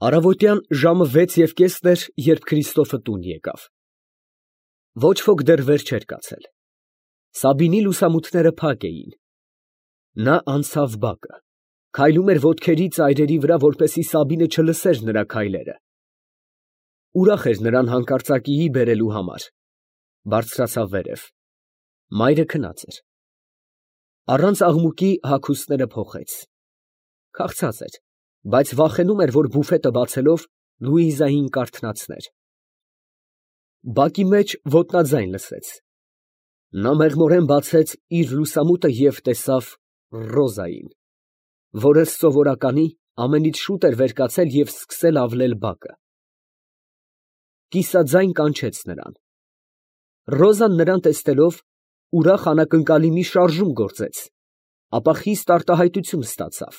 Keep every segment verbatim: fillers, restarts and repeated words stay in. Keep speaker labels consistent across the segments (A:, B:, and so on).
A: Առավոտյան ժամը վեց և կեսն էր, երբ Քրիստոֆը տուն եկավ. ոչ ոք դեռ վեր չէր կացել. Սաբինի լուսամուտները փակ էին. նա անցավ բակը, քայլում էր ոտքերի ծայրերի վրա, որպեսզի Սաբինը չլսեր նրա քայլերը. ուրախ էր նրան հանկարծակիի բերելու համար, բարձրացավ վերև. մայրը քնած էր. առանց աղմուկի հագուստները փոխեց. քաղցած էր, բայց վախենում էր, որ բուֆետը բացելով Լուիզային կարթնացներ. բակի մեջ ոտնաձայն լսեց. նա մեղմորեն բացեց իր լուսամուտը և տեսավ Ռոզային, որը սովորականի ամենից շուտ էր վեր կացել և սկսել ավլել բակը. կիսաձայն կանչեց նրան. Ռոզան նրան տեսնելով, ուրախ անակնկալի մի շարժում գործեց, ապա խիստ արտահայտություն ստացավ.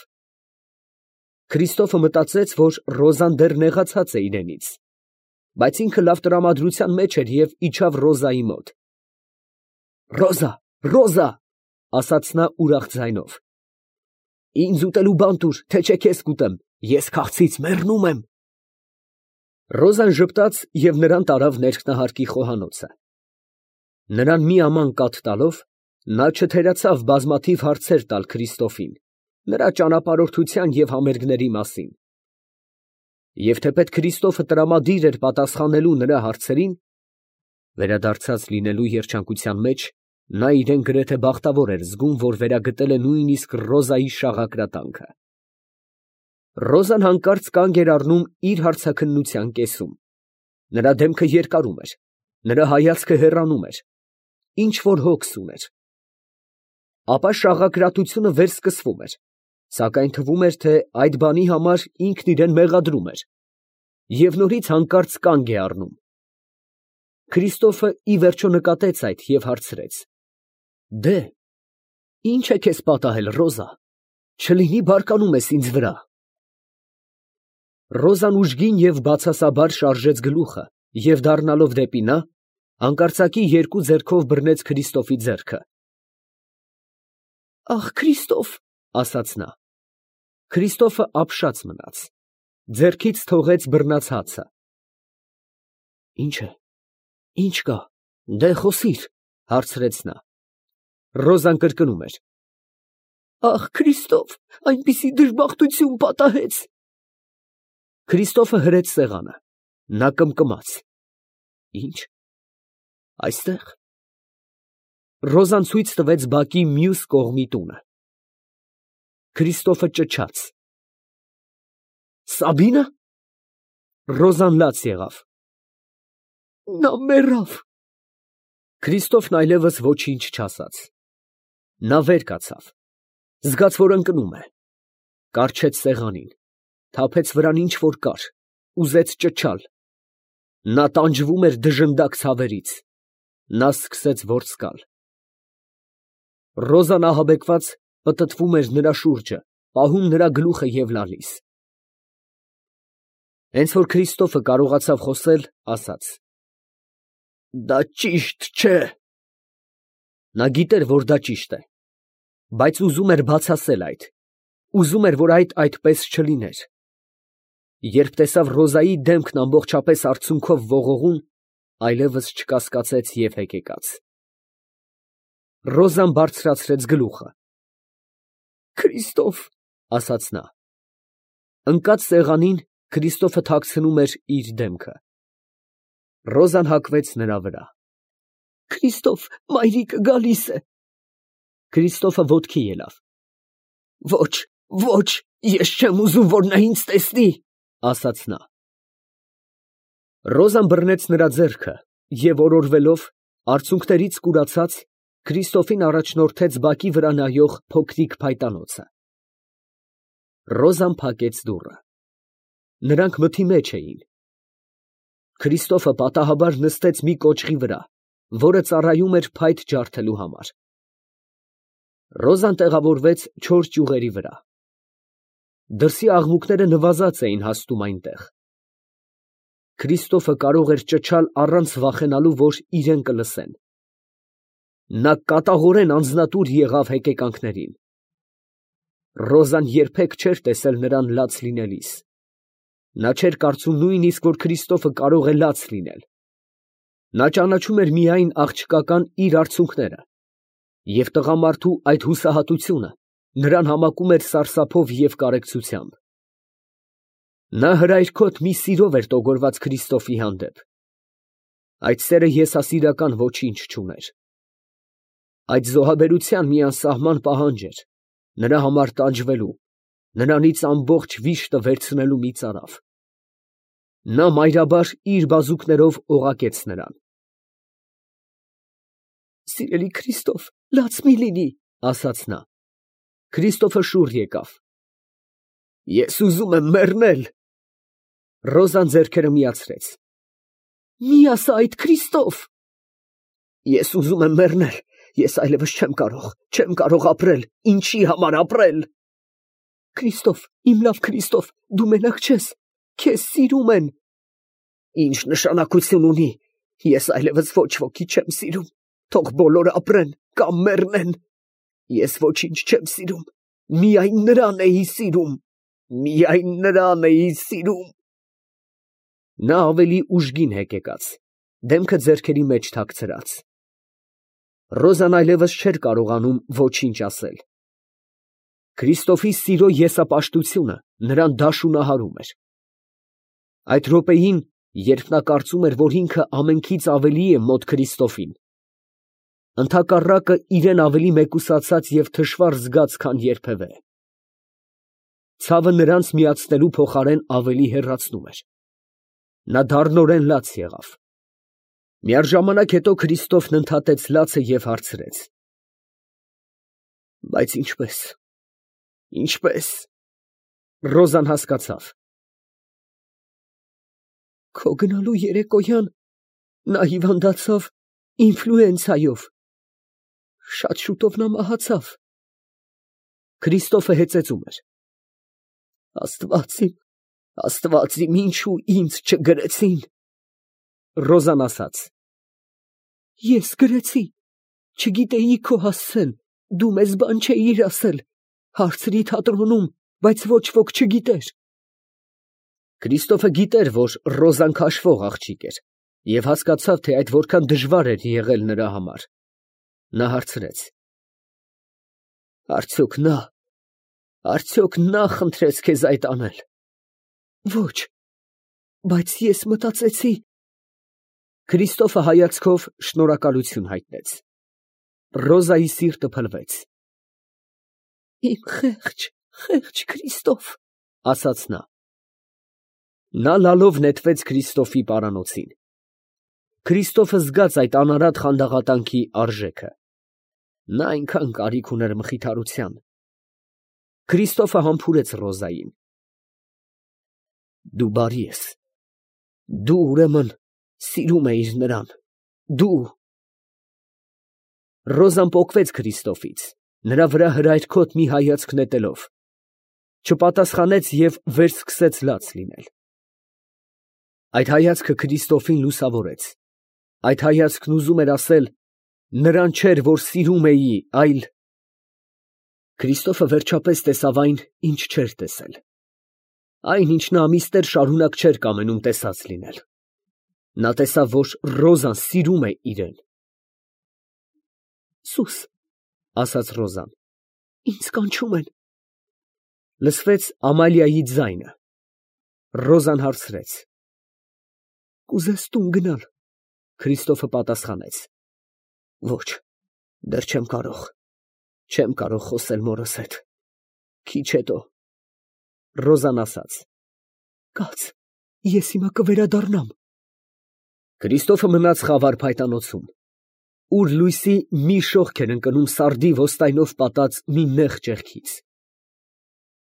A: Քրիստոֆը մտածեց, որ Ռոզան դեռ նեղացած է իրենից, բայց ինքը լավ տրամադրության մեջ էր և իջավ Ռոզայի մոտ. «Ռոզա, Ռոզա», ասաց նա ուրախ ձայնով, «ինձ ուտելու բան տուր, թե չէ քեզ կուտեմ, ես քաղցից մեռնում եմ»։ Ռոզան ժպտաց և նրան տարավ ներքնահարկի խոհանոցը. նրան մի աման կաթ տալով, նա չթերացավ բազմաթիվ հարցեր տալ Քրիստոֆին, նրա ճանապարհորդության և համերգների մասին. և թեպետ Քրիստոֆը տրամադիր էր պատասխանելու նրա հարցերին, վերադարձած լինելու երջանկության մեջ, նա իրան գրեթե բախտավոր էր զգում, որ վերագտել է նույնիսկ Ռոզայի շաղակրատանքը։ Ռոզան հանկարծ կանգ էր առնում իր հարցաքննության կեսում. նրա դեմքը երկարում էր, նրա հայացքը հեռանում էր, ինչ֊որ հոգս ուներ։ Ապա շաղակրատությունը վերսկսվում էր, սակայն թվում էր, թե այդ բանի համար ինքն իրան մեղադրում էր, և նորից հանկարծ կանգ է առնում։ Քրիստոֆը ի վերջո նկատեց այդ և հարցրեց. «Դե, ի՞նչ է քեզ պատահել, Ռոզա, չլինի բարկանում ես ինձ վրա»։ Ռոզան ուժգին և բացասաբար շարժեց գլուխը և դառնալով դեպի նա, հանկարծակի երկու ձեռքով բռնեց Քրիստոֆի ձեռքը։ «Ախ, Քրիստոֆ», ասաց նա։ Քրիստոֆը ապշած մնաց, ձեռքից թողեց բռնած հացը։ «Ի՞նչ է, ի՞նչ կա, դե խոսիր», հարցրեց նա։ Ռոզան կրկնում էր. «Ախ, Քրիստոֆ, այնպիսի դժբախտություն պատահեց»։ Քրիստոֆը հրեց սեղանը, նա կմկմաց. «Ի՞նչ, այստեղ»։ Ռոզան ցույց տվեց բակի մյուս կողմի տունը։ Քրիստոֆը ճչաց. «Սաբի՞նը»։ Ռոզան լաց եղավ. «Նա մեռավ»։ Քրիստոֆն այլևս ոչինչ չասաց։ Նա վեր կացավ, զգաց, որ ընկնում է, կառչեց սեղանին, թափեց վրան ինչ֊որ կար, ուզեց ճչալ։ Նա տանջվում էր դժնդակ ցավերից, նա սկսեց ворսկալ։ Ռոզան ահաբեկված պտտվում էր նրա շուրջը, պահում նրա գլուխը և լալիս։ Հենց որ Քրիստոֆը կարողացավ խոսել, ասաց. «Դա ճիշտ չէ»։ Նա գիտեր, որ դա ճիշտ է, բայց ուզում էր բացասել այդ, ուզում էր, որ այդ այդպես չլիներ։ Երբ տեսավ Ռոզայի դեմքն ամբողջապես արցունքով ողողուն, այլևս չկասկածեց և հեկեկաց։ Ռոզան բարձրացրեց գլուխը. «Քրիստոֆ», ասաց նա։ Ընկած սեղանին Քրիստոֆը թաքցնում էր իր դեմքը։ Ռոզան հագվեց նրա վրա. «Քրիստոֆ, մայրիկը գալիս է»։ Քրիստոֆը ոտքի ելավ. «Ոչ, ոչ, ես չեմ ուզում, որ նա ինձ տեսնի», ասաց նա։ Ռոզան բռնեց նրա ձեռքը և օրորվելով, արցունքներից կուրացած, Քրիստոֆին առաջնորդեց բակի վրա նայող փոքրիկ փայտանոցը։ Ռոզան փակեց դուռը։ Նրանք մթի մեջ էին։ Քրիստոֆը պատահաբար նստեց մի կոճղի վրա, որը ծառայում էր փայտ ջարդելու համար։ Ռոզան տեղավորվեց չոր ճյուղերի վրա։ Դրսի աղմուկները նվազած էին հասնում այնտեղ։ Քրիստոֆը կարող էր ճչալ առանց վախենալու, որ իրեն կլսեն։ Նա կատաղորեն անձնատուր եղավ հեկեկանքներին։ Ռոզան երբեք չէր տեսել նրան լաց լինելիս։ Նա չէր կարծում նույնիսկ, որ Քրիստոֆը կարող է լաց լինել. նա ճանաչում էր միայն աղջկական իր արցունքները, և տղամարդու այդ հուսահատությունը նրան համակում էր սարսափով և կարեկցությամբ։ Նա հրայրքոտ մի սիրով էր տոգորված Քրիստոֆի հանդեպ. այդ սերը եսասիրական ոչինչ չուներ։ Այդ զոհաբերության մի անսահման պահանջ էր նրա համար տանջվելու, նրանից ամբողջ վիշտը վերցնելու մի ծարավ։ Նա մայրաբար իր բազուկներով օղակեց նրան։ «Սիրելի Քրիստոֆ, լաց մի լինի, ֊ ասաց նա։ Քրիստոֆը շուռ եկավ։ Ես ուզում եմ մեռնել։ Ռոզան ձեռքերը միացրեց։ Մի ասա այդ, Քրիստոֆ։ Ես ուզում եմ մեռնել, ես այլևս չեմ կարող, չեմ կարող ապրել, ինչի համար ապրել։ Քրիստոֆ, իմ լավ Քրիստոֆ, դու մենակ չես, քեզ սիրում են։ Ինչ նշանակություն ունի, ես այլևս ոչ ոքի չեմ սիրում, թող բոլորը ապրեն կամ մեռնեն։ Ես ոչինչ չեմ սիրում, միայն նրան էի սիրում, միայն նրան էի սիրում։ Նա ավելի ուժգին հեկեկաց, դեմքը ձեռքերի մեջ թաքցրած։ Ռոզան այլևս չէր կարողանում ոչինչ ասել։ Քրիստոֆի սիրո եսապաշտությունը նրան դաշունահարում էր։ Այդ րոպեին, երբ նա կարծում էր, որ ինքը ամենքից ավելի է մոտ Քրիստոֆին, ընդհակառակը իրեն ավելի մեկուսացած և թշվառ զգաց, քան երբևէ։ Ցավը նրանց միացնելու փոխարեն ավելի հեռացնում էր։ Նա դառնորեն լաց եղավ։ Միառժամանակ հետո Քրիստոֆն ընդհատեց լացը և հարցրեց. Բայց ինչպե՞ս, ինչպե՞ս։ Ռոզան հասկացավ։ Քո գնալու երեկոյան նա հիվանդացավ ինֆլուենցայով։ Շատ շուտով նա մահացավ։ Քրիստոֆը հեծեծում էր։ Աստված իմ, Աստված իմ, ինչու ինձ չգրեցին։ Ռոզան ասաց. Ես գրեցի, չգիտեի քո հասցեն, դու մեզ բան չէիր ասել, հարցրի թատրոնում, բայց ոչ ոք չգիտեր։ Քրիստոֆը գիտեր, որ Ռոզան քաշվող աղջիկ էր, և հասկացավ, թե այդ որքան դժվար էր եղել նրա համար։ Նա հարցրեց. Արդյոք նա, արդյոք նա խնդրեց քեզ այդ անել։ Ոչ, բայց ես մտածեցի։ Քրիստոֆը հայացքով շնորհակալություն հայտնեց։ Ռոզայի սիրտը փլվեց։ Իմ խեղճ, խեղճ Քրիստոֆ, ասաց նա։ Նա լալով նետվեց Քրիստոֆի պարանոցին։ Քրիստոֆը զգաց այդ անարատ խանդաղատանքի արժեքը։ Նա այնքան կարիք ուներ մխիթարության։ Քրիստոֆը համբուրեց Ռոզային։ Դու բարի ես։ Դու ուրեմն սիրում էիր նրան, դու։ Ռոզան պոկվեց Քրիստոֆից, նրա վրա հրայրքոտ մի հայացք նետելով, չպատասխանեց և վերսկսեց լաց լինել։ Այդ հայացքը Քրիստոֆին լուսավորեց։ Այդ հայացքն ուզում էր ասել. նրան չէր, որ սիրում էի, այլ… Քրիստոֆը վերջապես տեսավ այն, ինչ չէր տեսել։ Այն, ինչ նա ամիսներ շարունակ չէր կամենում տեսած լինել։ Նա տեսավ, որ Ռոզան սիրում է իրեն։ Սուս, ասաց Ռոզան, ինձ կանչում են։ Լսվեց Ամալիայի ձայնը։ Ռոզան հարցրեց. Կուզես տուն գնալ։ Քրիստոֆը պատասխանեց. Ոչ, դեռ չեմ կարող, չեմ կարող խոսել մորս հետ։ Քիչ հետո։ Ռոզան ասաց. Կաց, ես հիմա կվերադառնամ։ Քրիստոֆը մնաց խավար փայտանոցում, ուր լույսի մի շողք էր ընկնում սարդի ոստայնով պատած մի նեղ ճեղքից։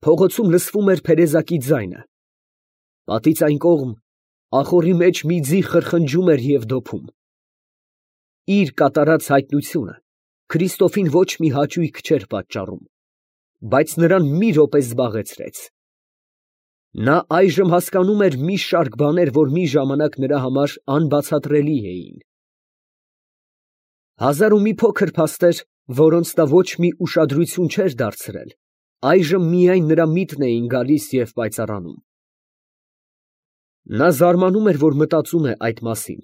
A: Փողոցում լսվում էր փերեզակի ձայնը։ Պատից այն կողմ ախոռի մեջ մի ձի խրխնջում էր և դոփում։ Իր կատարած հայտնությունը Քրիստոֆին ոչ մի հաճույք չէր պատճառում, բայց նրան մի րոպե զբաղեցրեց։ Նա այժմ հասկանում էր մի շարք բաներ, որ մի ժամանակ նրա համար անբացատրելի էին։ Հազար ու մի փոքր փաստեր, որոնց նա ոչ մի ուշադրություն չէր դարձրել, այժմ միայն նրա միտքն էին գալիս և պայծառանում։ Նա զարմանում էր, որ մտածում է այդ մասին,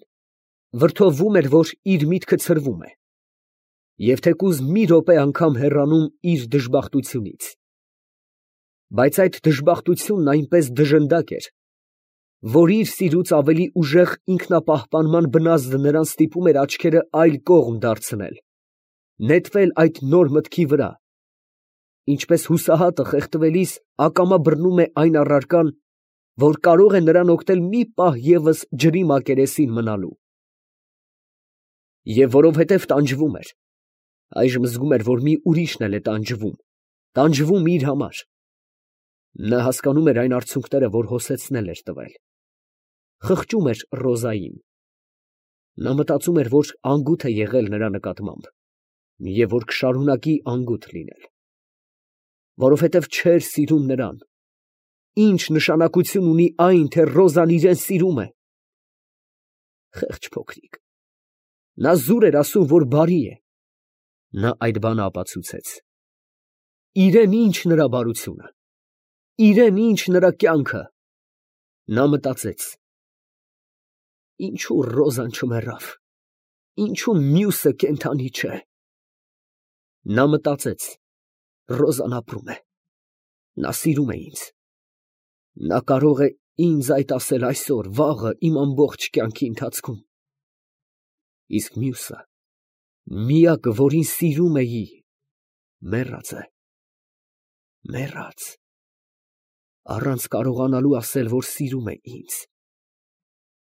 A: վրդովվում էր, որ իր միտքը ցրվում է, և թեկուզ մի րոպե անգամ հեռանում իր դժբախտությունից. բայց այդ դժբախտությունն այնպես դժնդակ էր, որ իր սիրուց ավելի ուժեղ ինքնապահպանման բնազդը նրան ստիպում էր աչքերը այլ կողմ դարձնել, նետվել այդ նոր մտքի վրա, ինչպես հուսահատը խեղդվելիս ակամա բռնում է այն առարկան, որ կարող է նրան օգնել մի պահ ևս ջրի մակերեսին մնալու։ Եվ որովհետև տանջվում էր, այժմ զգում էր, որ մի ուրիշն էլ է տանջվում, տանջվում իր համար։ Նա հասկանում էր այն արցունքները, որ հոսեցնել էր տվել, խղճում էր Ռոզային։ Նա մտածում էր, որ անգութ է եղել նրա նկատմամբ և որ կշարունակի անգութ լինել, որովհետև չէր սիրում նրան։ Ի՞նչ նշանակություն ունի այն, թե Ռոզան իրան սիրում է։ Խեղճ փոքրիկ, նա զուր էր ասում, որ բարի է։ Նա այդ բանը ապացուցեց։ Իրեն ի՞նչ նրա բարությունը, իրեն ի՞նչ նրա կյանքը։ Նա մտածեց. ինչո՞ւ Ռոզան չմեռավ, ինչո՞ւ մյուսը կենդանի չէ։ Նա մտածեց. Ռոզան ապրում է, նա սիրում է ինձ, նա կարող է ինձ այդ ասել այսօր, վաղը, իմ ամբողջ կյանքի ընթացքում։ Իսկ մյուսը, միակը, որին սիրում էի, մեռած է, մեռած, առանց կարողանալու ասել, որ սիրում է ինձ։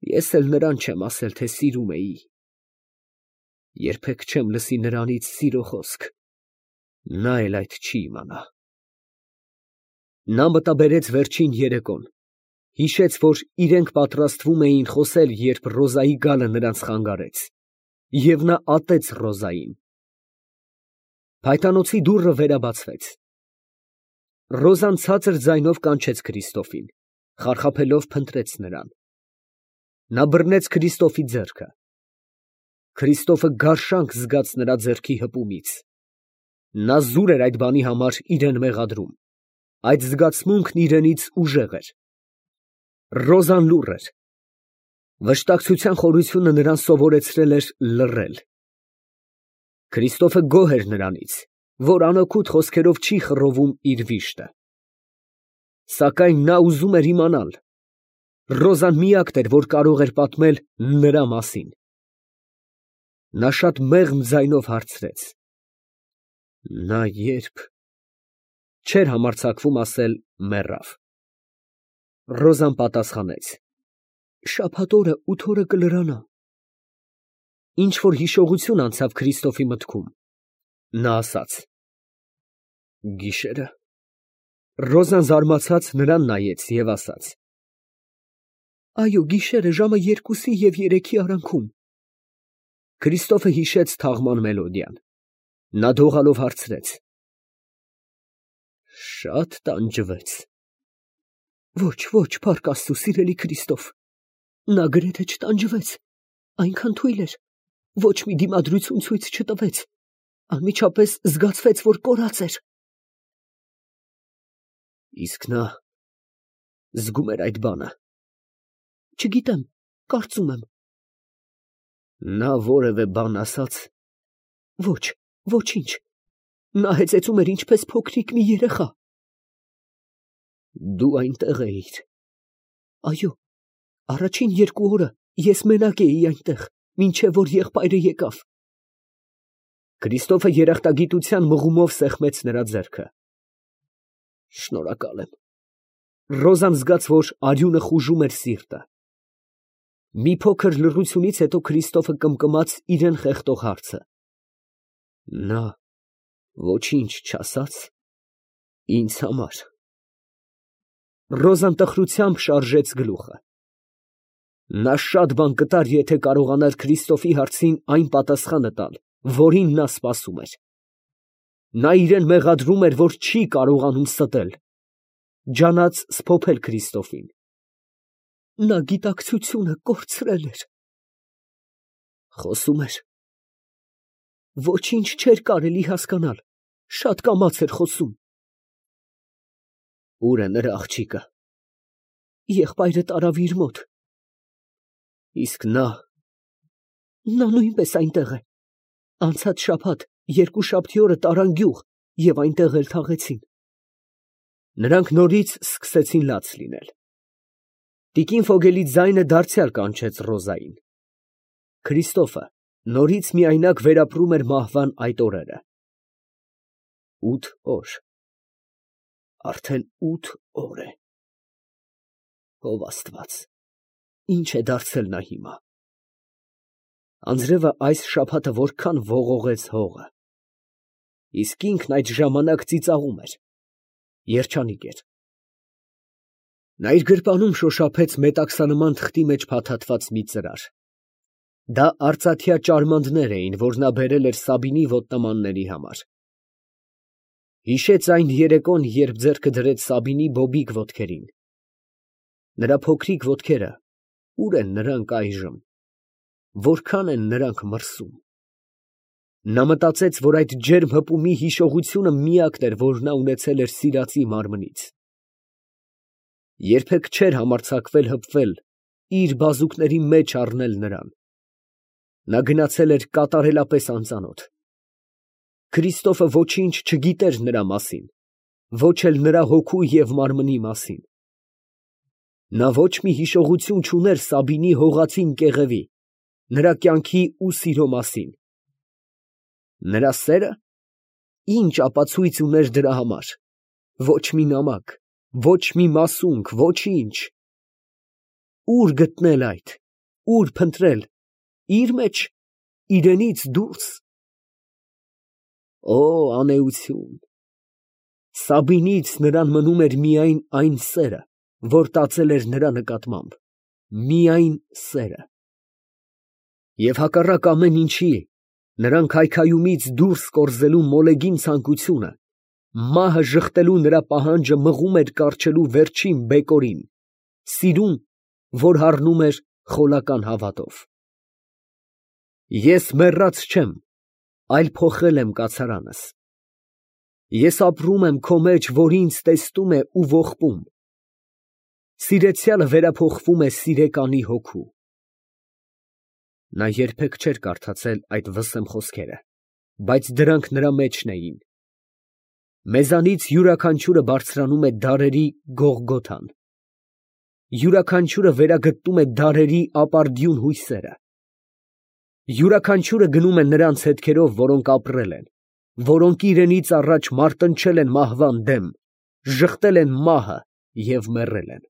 A: Ես էլ նրան չեմ ասել, թե սիրում էի։ Երբեք չեմ լսի նրանից սիրո խոսք, նա էլ այդ չի իմանա։ Նա մտաբերեց վերջին երեկոն, հիշեց, որ իրենք պատրաստվում էին խոսել, երբ Ռոզայի գալը նրանց խանգարեց, և նա ատեց Ռոզային։ Փայտանոցի դուռը վերաբացվեց։ Ռոզան ցածր ձայնով կանչեց Քրիստոֆին, խարխափելով փնտրեց նրան։ Նա բռնեց Քրիստոֆի ձեռքը։ Քրիստոֆը գարշանք զգաց նրա ձեռքի հպումից։ Նա զուր էր այդ բանի համար իրան մեղադրում, այդ զգացմունքն իրենից ուժեղ էր։ Ռոզան լուռ էր։ Վշտակցության խորությունը նրան սովորեցրել էր լռել։ Քրիստոֆը գոհ էր նրանից, որ անօգուտ խոսքերով չի խռովում իր վիշտը։ Սակայն նա ուզում էր իմանալ. Ռոզան միակն էր, որ կարող էր պատմել նրա մասին։ Նա շատ մեղմ ձայնով հարցրեց. նա երբ… չէր համարձակվում ասել մեռավ։ Ռոզան պատասխանեց. շաբաթ օրը ութ օրը կլրանա։ Ինչ֊որ հիշողություն անցավ Քրիստոֆի մտքում։ Նա ասաց. գիշե՞րը։ Ռոզան զարմացած նրան նայեց և ասաց. այո, գիշերը ժամը երկուսի և երեքի արանքում։ Քրիստոֆը հիշեց թաղման մելոդիան։ Նա դողալով հարցրեց. շատ տանջվեց։ Ոչ, ոչ, փառք Աստծու, սիրելի Քրիստոֆ, նա գրեթե չտանջվեց, այնքան թույլ էր, ոչ մի դիմադրություն ցույց չտվեց, անմիջապես զգացվեց, որ կորած էր։ Իսկ նա զգում էր այդ բանը։ Չգիտեմ, կարծում եմ։ Նա որևէ բան ասաց։ Ոչ, ոչինչ։ Նա հեծեծում էր ինչպես փոքրիկ մի երեխա։ Դու այնտեղ էիր։ Այո, առաջին երկու օրը ես մենակ էի այնտեղ, մինչև որ եղբայրը եկավ։ Քրիստոֆը երախտագիտության մղումով սեղմեց նրա ձեռքը։ Շնորհակալ եմ։ Ռոզան զգաց, որ արյունը խուժում էր սիրտը։ Մի փոքր լռությունից հետո Քրիստոֆը կմկմաց իրան խեղդող հարցը. նա ոչինչ չասա՞ց ինձ համար։ Ռոզան տխրությամբ շարժեց գլուխը։ Նա շատ բան կտար, եթե կարողանար Քրիստոֆի հարցին այն պատասխանը տալ, որին նա սպասում էր։ Նա իրան մեղադրում էր, որ չի կարողանում ստել, ջանած սփոփել Քրիստոֆին։ Նա գիտակցությունը կորցրել էր։ Խոսում էր։ Ոչինչ չէր կարելի հասկանալ, շատ կամաց էր խոսում։ Ո՞ւր է նրա աղջիկը։ Եղբայրը տարավ իր մոտ, Իսկ նա…
B: Նա նույնպես այնտեղ է։ Անցած շաբաթ երկու շաբթի օրը տարան գյուղ և այնտեղ էլ թաղեցին։
A: Նրանք նորից սկսեցին լաց լինել։ Տիկին Ֆոգելի ձայնը դարձյալ կանչեց Ռոզային։ Քրիստոֆը նորից միայնակ վերապրում էր մահվան այդ օրերը։ Ութ օր… Արդեն ութ օր է… Ով Աստված, ի՞նչ է դարձել նա հիմա… Անձրևը այս շաբաթը որքան ողողեց հողը… Իսկ ինքն այդ ժամանակ ծիծաղում էր, երջանիկ էր… Նա իր գրպանում շոշափեց մետաքսանման թղթի մեջ փաթաթված մի ծրար… Դա արծաթյա ճարմանդներ էին, որ նա բերել էր Սաբինի ոտնամանների համար… Հիշեց այն երեկոն, երբ ձեռքը դրեց Սաբինի բոբիկ ոտքերին… Նրա փոքրիկ ոտքերը, ո՞ւր են նրանք այժմ… Որքան են նրանք մրսում… Նա մտածեց, որ այդ ջերմ հպումի հիշողությունը միակն էր, որ նա ունեցել էր սիրածի մարմնից… Երբեք չէր համարձակվել հպվել իր բազուկների մեջ առնել նրան… Նա գնացել էր կատարելապես անծանոթ… Քրիստոֆը ոչինչ չգիտեր նրա մասին, ոչ էլ նրա հոգու և մարմնի մասին… Նա ոչ մի հիշողություն չուներ Սաբինի հողածին կեղևի, նրա կյանքի ու սիրո մասին… Նրա սե՞րը… Ի՞նչ ապացույց ուներ դրա համար… Ոչ մի նամակ, ոչ մի մասունք, ոչինչ… Ո՞ւր գտնել այդ… Ո՞ւր փնտրել… Իր մեջ… իրենից դուրս… Օ՜, անէություն… Սաբինից նրան մնում էր միայն այն սերը, որ տածել էր նրա նկատմամբ… Միայն սերը… Եվ հակառակ ամեն ինչի, նրան քայքայումից դուրս կորզելու մոլեգին ցանկությունը, մահը ժխտելու նրա պահանջը մղում էր կառչելու վերջին բեկորին… սիրուն, որ հառնում էր խոլական հավատով… Ես մեռած չեմ, այլ փոխել եմ կացարանս… Ես ապրում եմ քո մեջ, որ ինձ տեսնում է ու ողբում… Սիրեցյալը վերափոխվում է սիրեկանի հոգու… Նա երբեք չէր կարդացել այդ վսեմ խոսքերը, բայց դրանք նրա մեջն էին… Մեզանից յուրաքանչյուրը բարձրանում է դարերի Գողգոթան… Յուրաքանչյուրը վերագտնում է դարերի ապարդյուն հույսերը… Յուրաքանչյուրը գնում է նրանց հետքերով, որոնք ապրել են, որոնք իրենից առաջ մարտնչել են մահվան դեմ, ժխտել են մահը և մեռել են…